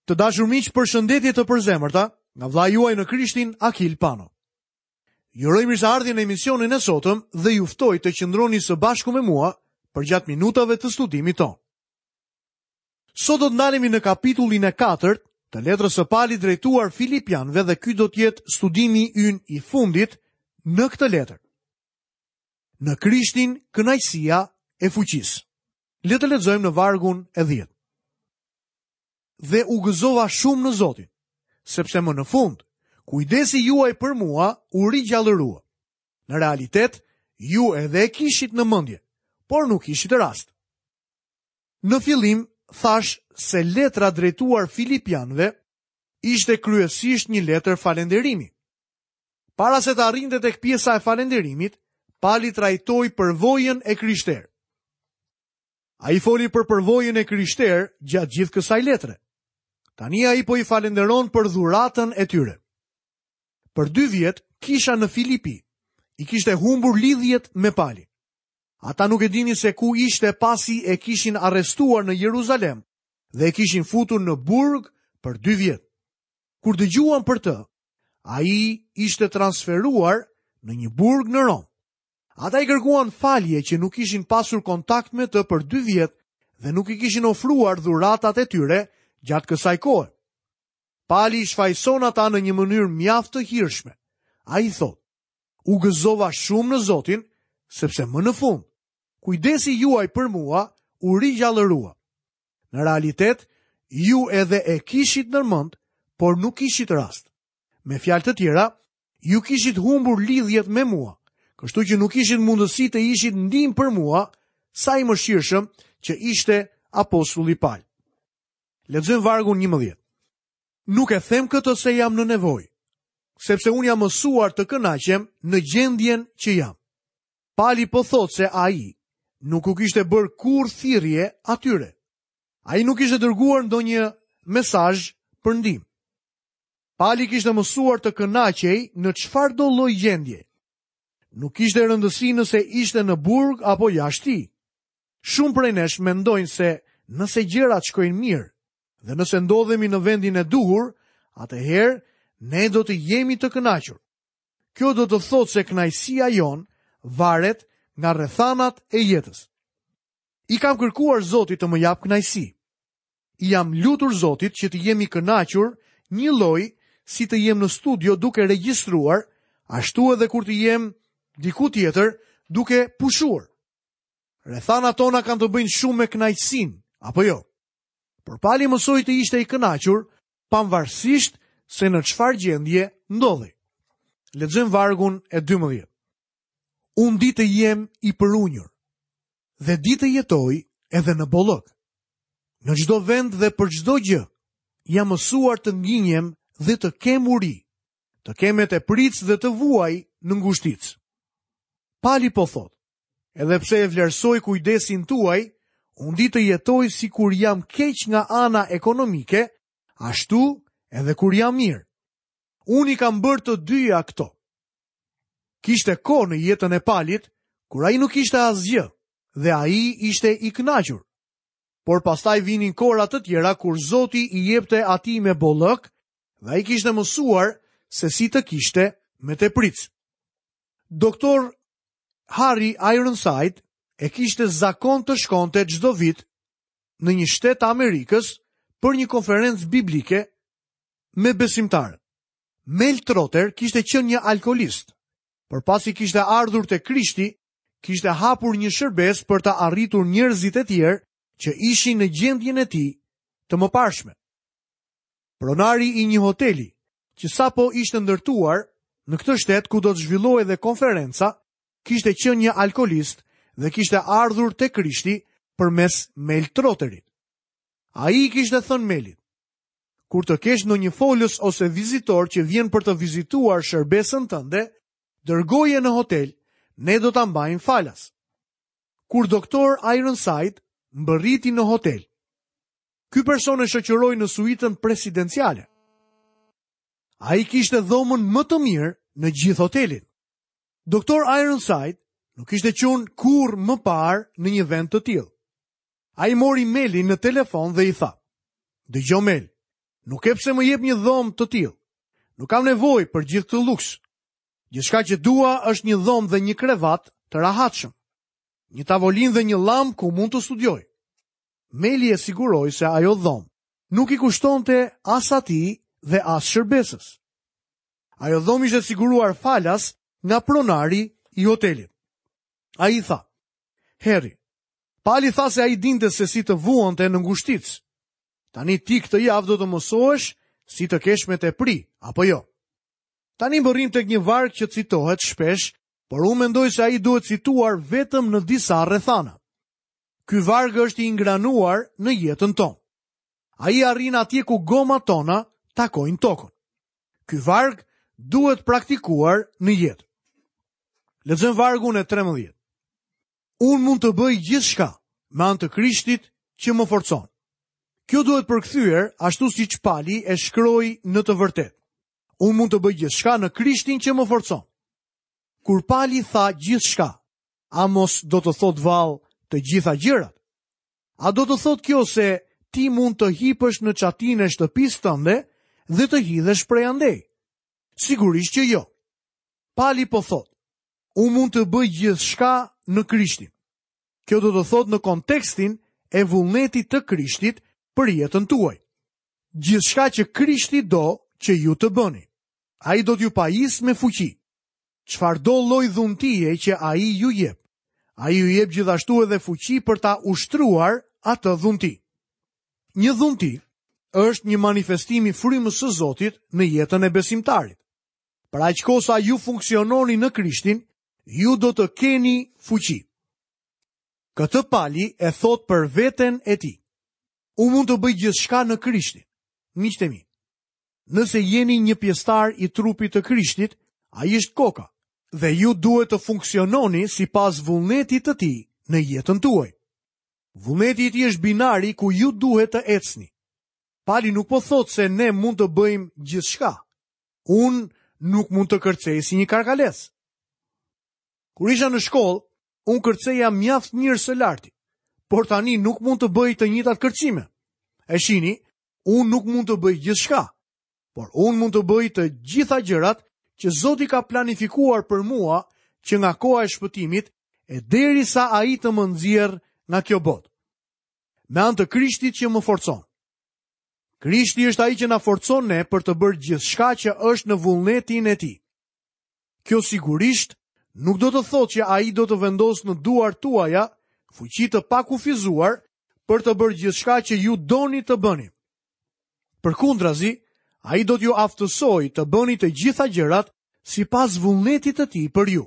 Të dashur miq, përshëndetje të përzemërta nga vëllai juaj në Krishtin Akil Pano. Ju uroj mirëseardhjen në emisionin e sotëm dhe ju ftoj të qëndroni së bashku me mua përgjatë minutave të studimit tonë. Sot do të ndalemi në kapitullin e katërt të letrës së Palit drejtuar Filipianëve dhe ky do të jetë studimi ynë i fundit në këtë letër. Në Krishtin kënaqësia e fuqisë. Le të lexojmë në vargun e 10. Dhe u gëzova shumë në Zotin, sepse më në fund, kujdesi juaj për mua u rigjallërua. Në realitet, ju edhe e kishit në mendje, por nuk kishit rast. Në fillim, thashë se letra drejtuar Filipianëve ishte kryesisht një letër falënderimi. Para se të arrinte tek pjesa e falënderimit, Pali trajtoi përvojën e krishterë. Ai foli për përvojën e krishterë gjatë gjithë kësaj letre. Tani ai po i falënderon për dhuratën e tyre. Për dy vjet, kisha në Filipi i kishte humbur lidhjet me Palin. Ata nuk e dinin se ku ishte pasi e kishin arrestuar në Jeruzalem dhe e kishin futur në burg për dy vjet. Kur dëgjuan për të, ai ishte transferuar në një burg në Romë. Ata i kërkuan falje që nuk kishin pasur kontakt me të për dy vjet dhe nuk i kishin ofruar dhuratat e tyre gjatë kësaj kohe. Pali i shfajëson ata në një mënyrë mjaft të hirshme. Ai thotë, u gëzova shumë në Zotin, sepse më në fund, kujdesi juaj për mua u rigjallërua. Në realitet, ju edhe e kishit në mend, por nuk kishit rast. Me fjalë të tjera, Ju kishit humbur lidhjet me mua, kështu që nuk kishit mundësi të ishit ndihmë për mua, sa i mëshirshëm që ishte apostulli Pal. Lexojmë vargun 11. Nuk e them këtë se jam në nevojë, sepse unë jam mësuar të kënaqem në gjendjen që jam. Pali po thotë se ai nuk u kishte bërë kurrë thirrje atyre. Ai nuk kishte dërguar ndonjë mesazh për ndihmë. Pali kishte mësuar të kënaqej në çfarëdo lloj gjendje. Nuk kishte rëndësi nëse ishte në burg apo jashtë tij. Shumë prej nesh mendojnë se nëse gjërat shkojnë mirë dhe nëse ndodhemi në vendin e duhur, atëherë ne do të jemi të kënaqur. Kjo do të thotë se kënaqësia jonë varet nga rrethanat e jetës. I kam kërkuar Zotit të më japë kënaqësi. I jam lutur Zotit që të jem i kënaqur njëlloj si të jem në studio duke regjistruar, ashtu edhe kur të jem diku tjetër duke pushuar. Rrethanat tona kanë të bëjnë shumë me kënaqësinë, apo jo? Por Pali mësoi të ishte i kënaqur, pavarësisht se në çfarë gjendje ndodhej. Lexojmë vargun e 12. Unë di të jem i përunjur dhe di të jetoj edhe në bollëk. Në çdo vend dhe për çdo gjë, jam mësuar të nginjem dhe të kem uri, të kem me tepricë dhe të vuaj në ngushticë. Pali po thotë, edhe pse e vlerësoj kujdesin tuaj, unë di të jetoj sikur jam keq nga ana ekonomike, ashtu edhe kur jam mirë. Unë i kam bërë të dyja këto. Kishte kohë në jetën e Palit, kur ai nuk kishte asgjë dhe ai ishte i kënaqur. Por pastaj vinin kohëra të tjera kur Zoti i jepte atij me bollëk dhe ai kishte mësuar se si të kishte me tepricë. Doktor Harry Ironside e kishte zakon të shkonte çdo vit në një shtet të Amerikës për një konferencë biblike me besimtarët. Mel Trotter kishte qenë një alkoolist, por pasi kishte ardhur te Krishti, kishte hapur një shërbesë për të arritur njerëzit e tjerë që ishin në gjendjen e tij të mëparshme. Pronari i një hoteli, që sapo ishte ndërtuar në këtë shtet ku do të zhvillohej dhe konferenca, kishte qenë një alkoolist dhe kishte ardhur te Krishti përmes Mel Trotterit. Ai i kishte thënë Melit, Kur të kesh ndonjë folës ose vizitor që vjen për të vizituar shërbesën tënde, dërgoje në hotel, ne do ta mbajmë falas. Kur doktor Ironside mbërriti në hotel, ky person e shoqëroi në suitën presidenciale. Ai kishte dhomën më të mirë në gjithë hotelin. Doktor Ironside nuk kishte qenë kurrë më parë në një vend të tillë. Ai mori Melin në telefon dhe i tha: "Dëgjo Mel, Nuk ke pse më jep një dhomë të tillë. Nuk kam nevojë për gjithë këtë luks. Gjithçka që dua është një dhomë dhe një krevat të rahatshëm. Një tavolinë dhe një llambë ku mund të studioj. Meli e siguroi se ajo dhomë nuk i kushtonte as atij dhe as shërbesës. Ajo dhomë ishte siguruar falas nga pronari i hotelit. Ai tha, Harry, Pali tha se ai dinte se si të vuante në ngushticë. Tani ti këtë javë do të mësohesh si të kesh me tepri, apo jo? Tani mbërrijmë tek një varg që citohet shpesh, por unë mendoj se ai duhet cituar vetëm në disa rrethana. Ky varg është i ingranuar në jetën tonë. Ai arrin atje ku gomat tona takojnë tokën. Ky varg duhet praktikuar në jetë. Lexojmë vargun e 13. Unë mund të bëj gjithçka me anë të Krishtit që më forcon. Kjo duhet përkthyer ashtu siç Pali e shkroi në të vërtetë. Unë mund të bëj gjithçka në Krishtin që më forcon. Kur Pali tha gjithçka, a mos do të thotë vallë të gjitha gjërat? A do të thotë kjo se ti mund të hipësh në çatinë e shtëpisë tënde dhe të hidhesh prej andej? Sigurisht që jo. Pali po thotë, unë mund të bëj gjithçka në Krishtin. Kjo do të thotë në kontekstin e vullnetit të Krishtit për jetën tuaj. Gjithçka që Krishti do që ju të bëni. Ai do t'ju pajisë me fuqi. Çfarëdo lloj dhuntie që ai ju jep, ai ju jep gjithashtu edhe fuqi për ta ushtruar atë dhunti. Një dhunti është një manifestim i frymës së Zotit në jetën e besimtarit. Për aq kohë sa ju funksiononi në Krishtin, ju do të keni fuqi. Këtë Pali e thotë për veten e tij. Unë mund të bëj gjithçka në Krishtin. Miqtë e mi, Nëse jeni një pjesëtar i trupit të Krishtit, ai është koka dhe ju duhet të funksiononi sipas vullnetit të tij në jetën tuaj. Vullneti i tij është binari ku ju duhet të ecni. Pali nuk po thotë se ne mund të bëjmë gjithçka. Unë nuk mund të kërcej si një karkalec. Kur isha në shkollë, unë kërceja mjaft mirë së larti, por tani nuk mund të bëj të njëjtat kërcime. E shihni, Unë nuk mund të bëj gjithçka, por unë mund të bëj të gjitha gjërat që Zoti ka planifikuar për mua që nga koha e shpëtimit e derisa ai të më nxjerrë nga kjo botë. Me anë të Krishtit që më forcon. Krishti është ai që na forcon ne për të bërë gjithçka që është në vullnetin e tij. Kjo sigurisht nuk do të thotë që ai do të vendosë në duart tuaja fuqi të pakufizuar për të bërë gjithçka që ju doni të bëni. Përkundrazi, ai do t'ju aftësojë të bëni të gjitha gjërat sipas vullnetit të tij për ju.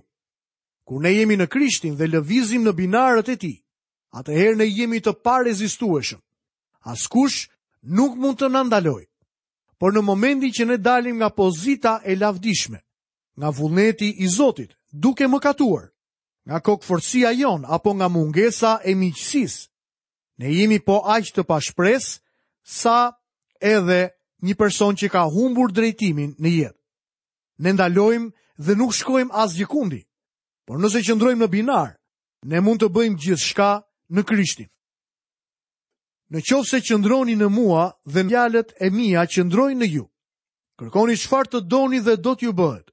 Kur ne jemi në Krishtin dhe lëvizim në binarët e tij, atëherë ne jemi të parezistueshëm. Askush nuk mund të na ndalojë. Por në momentin që ne dalim nga pozita e lavdishme, nga vullneti i Zotit, duke mëkatuar, nga kokëfortësia jonë apo nga mungesa e miqësisë, ne jemi po aq të pashpresë sa edhe një person që ka humbur drejtimin në jetë. Ne ndalojmë dhe nuk shkojmë asgjëkundi, por nëse qëndrojmë në binar, ne mund të bëjmë gjithçka në Krishtin. Në qoftë se qëndroni në mua dhe fjalët e mia qëndrojnë në ju, kërkoni çfarë të doni dhe do t'ju bëhet.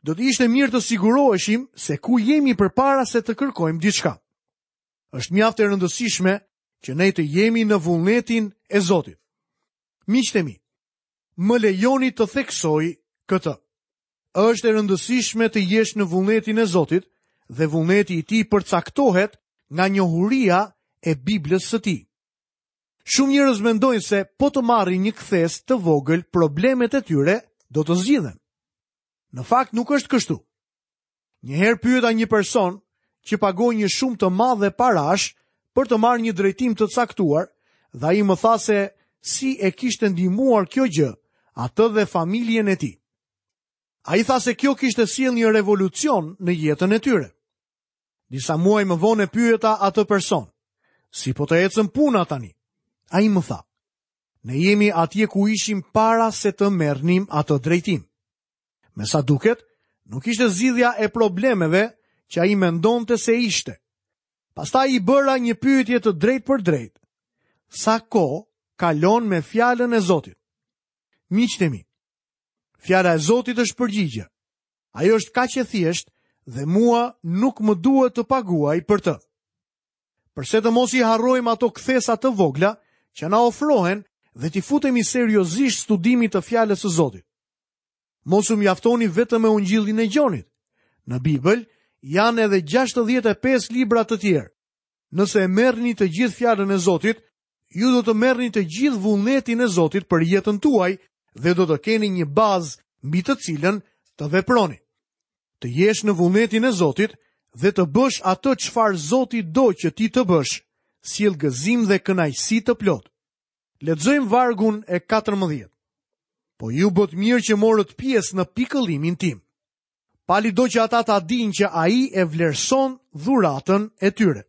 Do të ishte mirë të siguroheshim se ku jemi përpara se të kërkojmë diçka. Është mjaft e rëndësishme që ne të jemi në vullnetin e Zotit. Miqtë e mi, më lejoni të theksoj këtë. Është e rëndësishme të jesh në vullnetin e Zotit dhe vullneti i tij përcaktohet nga njohuria e Biblës së tij. Shumë njerëz mendojnë se po të marrin një kthesë të vogël problemet e tyre do të zgjidhen. Në fakt nuk është kështu. Një herë pyeta një person që pagoi një shumë të madhe parash për të marrë një drejtim të caktuar dhe ai më tha se si e kishte ndihmuar kjo gjë atë dhe familjen e tij. Ai tha se kjo kishte sjellë një revolucion në jetën e tyre. Disa muaj më vonë e pyeta atë person, si po të ecën puna tani? Ai më tha, ne jemi atje ku ishim para se të merrnim atë drejtim. Me sa duket, nuk ishte zgjidhja e problemeve që ai mendonte se ishte. Pastaj i bëra një pyetje të drejtpërdrejtë. Sa kohë kalon me fjalën e Zotit? Miqtë e mi, fjala e Zotit është përgjigja. Ajo është kaq e thjeshtë dhe mua nuk më duhet të paguaj për të. Përse të mos i harrojmë ato kthesa të vogla që na ofrohen dhe t'i futemi seriozisht studimit të fjalës së Zotit? Mos u mjaftoni vetëm me Ungjillin e Gjonit. Në Bibël janë edhe 65 libra të tjerë. Nëse e merrni të gjithë fjalën e Zotit, ju do të merrni të gjithë vullnetin e Zotit për jetën tuaj dhe do të keni një bazë mbi të cilën të veproni. Të jesh në vullnetin e Zotit dhe të bësh atë çfarë Zoti do që ti të bësh, sjell gëzim dhe kënaqësi të plotë. Lexojmë vargun e 14. Po ju bëtë mirë që morët pjesë në pikëllimin tim. Pali do që ata ta dinë që ai e vlerëson dhuratën e tyre.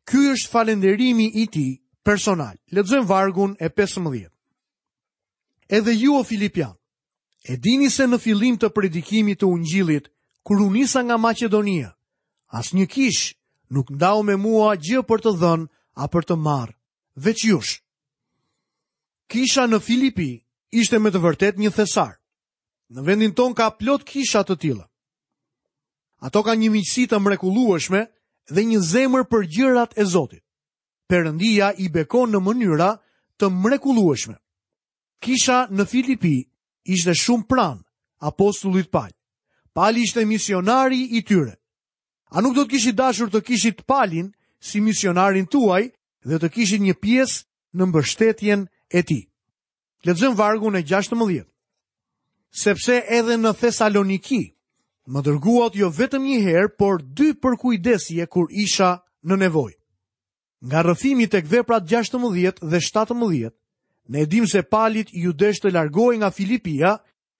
Ky është falënderimi i tij personal. Lexojmë vargun e 15. Edhe ju o Filipianë, e dini se në fillim të predikimit të Ungjillit, kur u nisa nga Maqedonia, asnjë kishë nuk ndau me mua gjë për të dhënë a për të marrë, veç jush. Kisha në Filipi ishte me të vërtetë një thesar. Në vendin tonë ka plot kisha të tilla. Ato kanë një miqësi të mrekullueshme dhe një zemër për gjërat e Zotit. Perëndia i bekon në mënyra të mrekullueshme. Kisha në Filipi ishte shumë pranë apostullit Pal. Pali ishte misionari i tyre. A nuk do të kishit dashur të kishit Palin si misionarin tuaj dhe të kishit një pjesë në mbështetjen e tij? Lexojmë vargun e 16. Sepse edhe në Thesaloniki më dërguat jo vetëm një herë, por dy përkujdesje kur isha në nevojë. Nga rrëfimi tek veprat 16 dhe 17, ne e dimë se Palit iu desh të largohej nga Filipia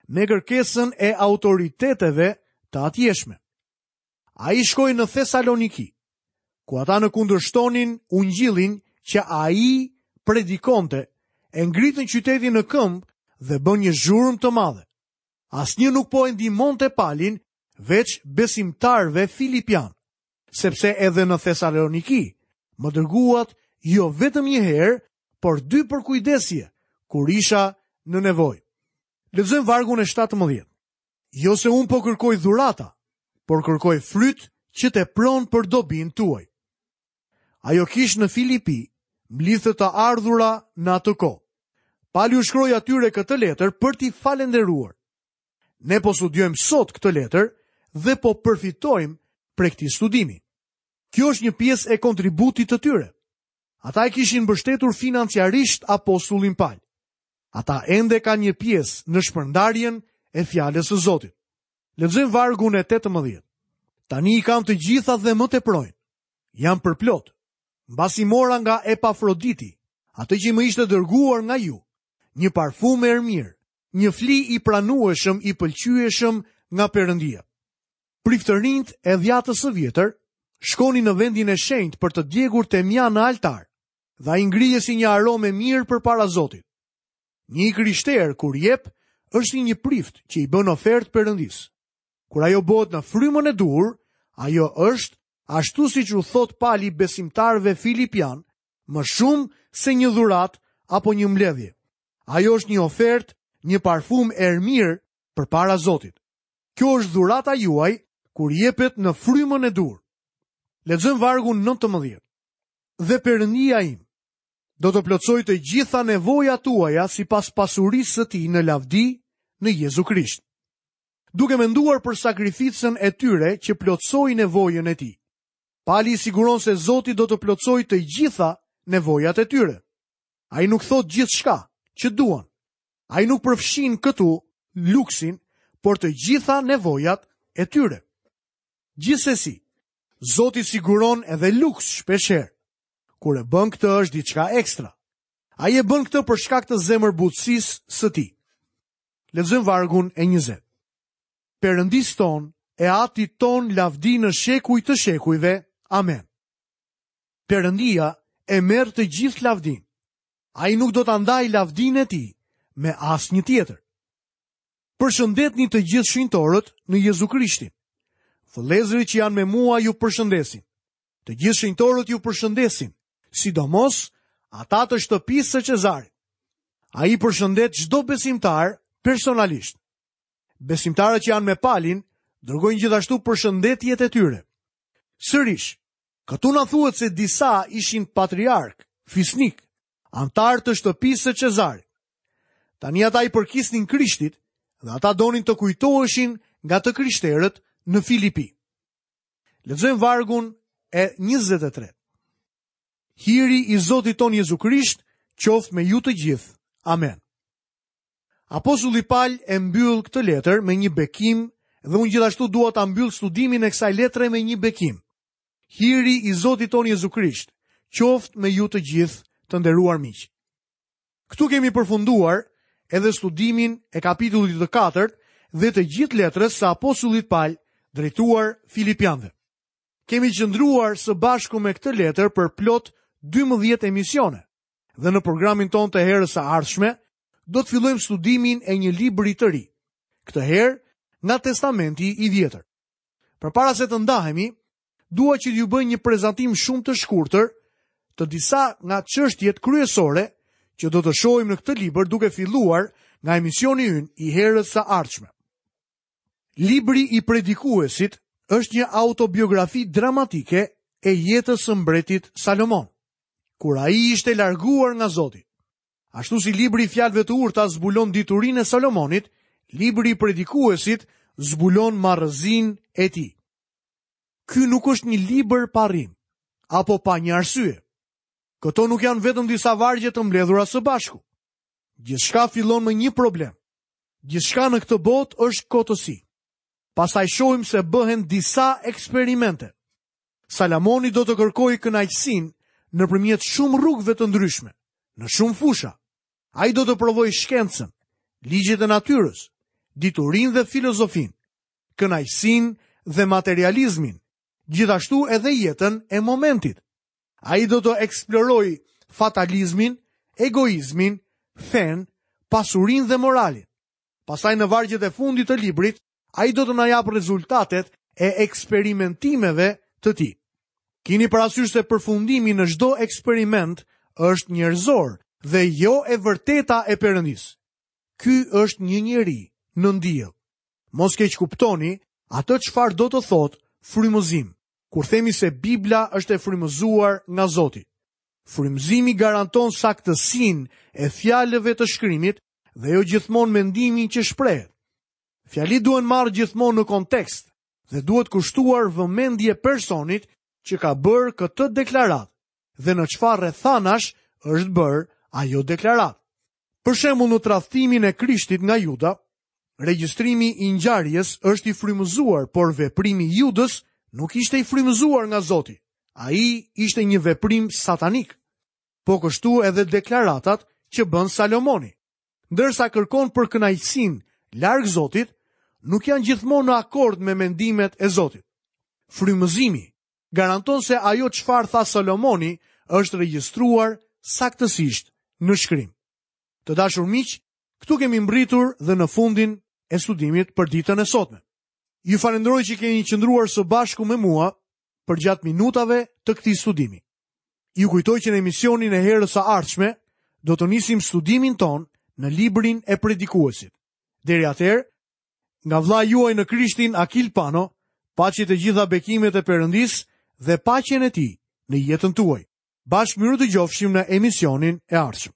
me kërkesën e autoriteteve të atjeshme. Ai shkoi në Thesaloniki, ku ata në kundërshtonin ungjillin që ai predikonte, e ngritën qytetin në këmbë dhe bënë një zhurmë të madhe. Asnjë nuk po e ndihmonte Palin veç besimtarëve filipianë, sepse edhe në Thesaloniki më dërguat jo vetëm një herë, por dy përkujdesje kur isha në nevojë. Lexojmë vargun e 17. Jo se unë po kërkoj dhurata, por kërkoj fryt që tepron për dobinë tuaj. Ajo kishë në Filipi mblidhte të ardhura në atë kohë. Pali u shkroi atyre këtë letër për t'i falënderuar. Ne po studiojmë sot këtë letër dhe po përfitojmë prej këtij studimi. Kjo është një pjesë e kontributit të tyre. Ata e kishin mbështetur financiarisht apostullin Pal. Ata ende kanë një pjesë në shpërndarjen e fjalës së Zotit. Lexojmë vargun e 18. Tani i kam të gjitha dhe më teprojnë. Jam përplot. Mbasi mora nga Epafroditi, atë që më ishte dërguar nga ju, një parfum erëmirë, një fli i pranueshëm i pëlqyeshëm nga Perëndia. Priftërinjtë e dhjatës së vjetër shkonin në vendin e shenjtë për të djegur temjan në altar dhe ai ngrihej si një aromë e mirë përpara Zotit. Një i krishterë kur jep është si një prift që i bën ofertë Perëndisë. Kur ajo bëhet në frymën e duhur, ajo është ashtu siç u thotë Pali besimtarëve filipianë, më shumë se një dhuratë apo një mbledhje. Ajo është një ofertë, një parfum erëmirë përpara Zotit. Kjo është dhurata juaj kur jepet në frymën e duhur. Lexojmë vargun 19. Dhe Perëndia im do të plotësojë të gjitha nevojat tuaja sipas pasurisë së tij në lavdi në Jezu Krisht. Duke menduar për sakrificën e tyre që plotësoi nevojën e tij. Pali i siguron se Zoti do të plotësojë të gjitha nevojat e tyre. Ai nuk thotë gjithçka që duan. Ai nuk përfshin këtu luksin, por të gjitha nevojat e tyre. Gjithsesi, Zoti siguron edhe luks shpeshherë. Kur e bën këtë është diçka ekstra. Ai e bën këtë për shkak të zemërbutësisë së tij. Lexojmë vargun e 20. Perëndisë tonë e Atit tonë lavdi në shekuj të shekujve. Amen. Perëndia e merr të gjithë lavdinë. Ai nuk do ta ndajë lavdinë e tij me asnjë tjetër. Përshëndetni të gjithë shenjtorët në Jezu Krishtin. Vëllezërit që janë me mua ju përshëndesin. Të gjithë shenjtorët ju përshëndesin, sidomos ata të shtëpisë së Cezarit. Ai përshëndet çdo besimtar personalisht. Besimtarët që janë me Palin dërgojnë gjithashtu përshëndetjet e tyre. Sërish, këtu na thuhet se disa ishin patriarkë, fisnikë, anëtarë të shtëpisë së Cezarit. Tani ata i përkisnin Krishtit dhe ata donin të kujtoheshin nga të krishterët në Filipi. Lexojmë vargun e 23. Hiri i Zotit tonë Jezu Krisht qoftë me ju të gjithë. Amen. Apostulli Pal e mbyll këtë letër me një bekim dhe unë gjithashtu dua ta mbyll studimin e kësaj letre me një bekim. Hiri i Zotit tonë Jezu Krisht qoftë me ju të gjithë të nderuar miq. Këtu kemi përfunduar edhe studimin e kapitullit të katërt dhe të gjithë letrës së apostullit Pal drejtuar Filipianëve. Kemi qëndruar së bashku me këtë letër për plot 12 emisione dhe në programin tonë të herës së ardhshme do të fillojmë studimin e një libri të ri. Këtë herë nga Testamenti i Vjetër. Përpara se të ndahemi, dua që t'ju bëj një prezantim shumë të shkurtër të disa nga çështjet kryesore që do të shohim në këtë libër duke filluar nga emisioni ynë i herës së ardhshme. Libri i Predikuesit është një autobiografi dramatike e jetës së mbretit Salomon, kur ai ishte larguar nga Zoti. Ashtu si libri i fjalëve të urta zbulon diturinë e Salomonit, libri i Predikuesit zbulon marrëzinë e tij. Ky nuk është një libër pa rrimë, apo pa një arsye. Këto nuk janë vetëm disa vargje të mbledhura së bashku. Gjithçka fillon me një problem. Gjithçka në këtë botë është kotësi. Pastaj shohim se bëhen disa eksperimente. Salomoni do të kërkojë kënaqësinë nëpërmjet shumë rrugëve të ndryshme, në shumë fusha. Ai do të provojë shkencën, ligjet e natyrës, diturinë dhe filozofinë, kënaqësinë dhe materializmin, gjithashtu edhe jetën e momentit. Ai do të eksplorojë fatalizmin, egoizmin, fenë, pasurinë dhe moralin. Pastaj në vargjet e fundit të librit, ai do të na japë rezultatet e eksperimentimeve të tij. Kini parasysh se përfundimi në çdo eksperiment është njerëzor dhe jo e vërteta e Perëndisë. Ky është një njeri nën diell. Mos keqkuptoni atë çfarë do të thotë frymëzim, kur themi se Bibla është e frymëzuar nga Zoti. Frymëzimi garanton saktësinë e fjalëve të shkrimit dhe jo gjithmonë mendimin që shprehet. Fjalitë duhen marrë gjithmonë në kontekst dhe duhet kushtuar vëmendje personit që ka bërë këtë deklaratë dhe në çfarë rrethanash është bërë ajo deklaratë. Për shembull në tradhtimin e Krishtit nga Juda, regjistrimi i ngjarjes është i frymëzuar, por veprimi i Judës nuk ishte i frymëzuar nga Zoti. Ai ishte një veprim satanik. Po kështu edhe deklaratat që bën Salomoni. Ndërsa kërkon për kënaqësinë larg Zotit, nuk janë gjithmonë në akord me mendimet e Zotit. Frymëzimi garanton se ajo çfarë tha Salomoni është regjistruar saktësisht në shkrim. Të dashur miq, këtu kemi mbërritur dhe në fundin e studimit për ditën e sotme. Ju falënderoj që keni qëndruar së bashku me mua përgjatë minutave të këtij studimi. Ju kujtoj që në emisionin e herës së ardhshme do të nisim studimin tonë në librin e predikuesit. Deri atëherë, Nga vëllai juaj në Krishtin Akil Pano, paçi të gjitha bekimet e Perëndisë dhe paqen e tij në jetën tuaj. Bashkë mirudëgjofshim në emisionin e ardhshëm.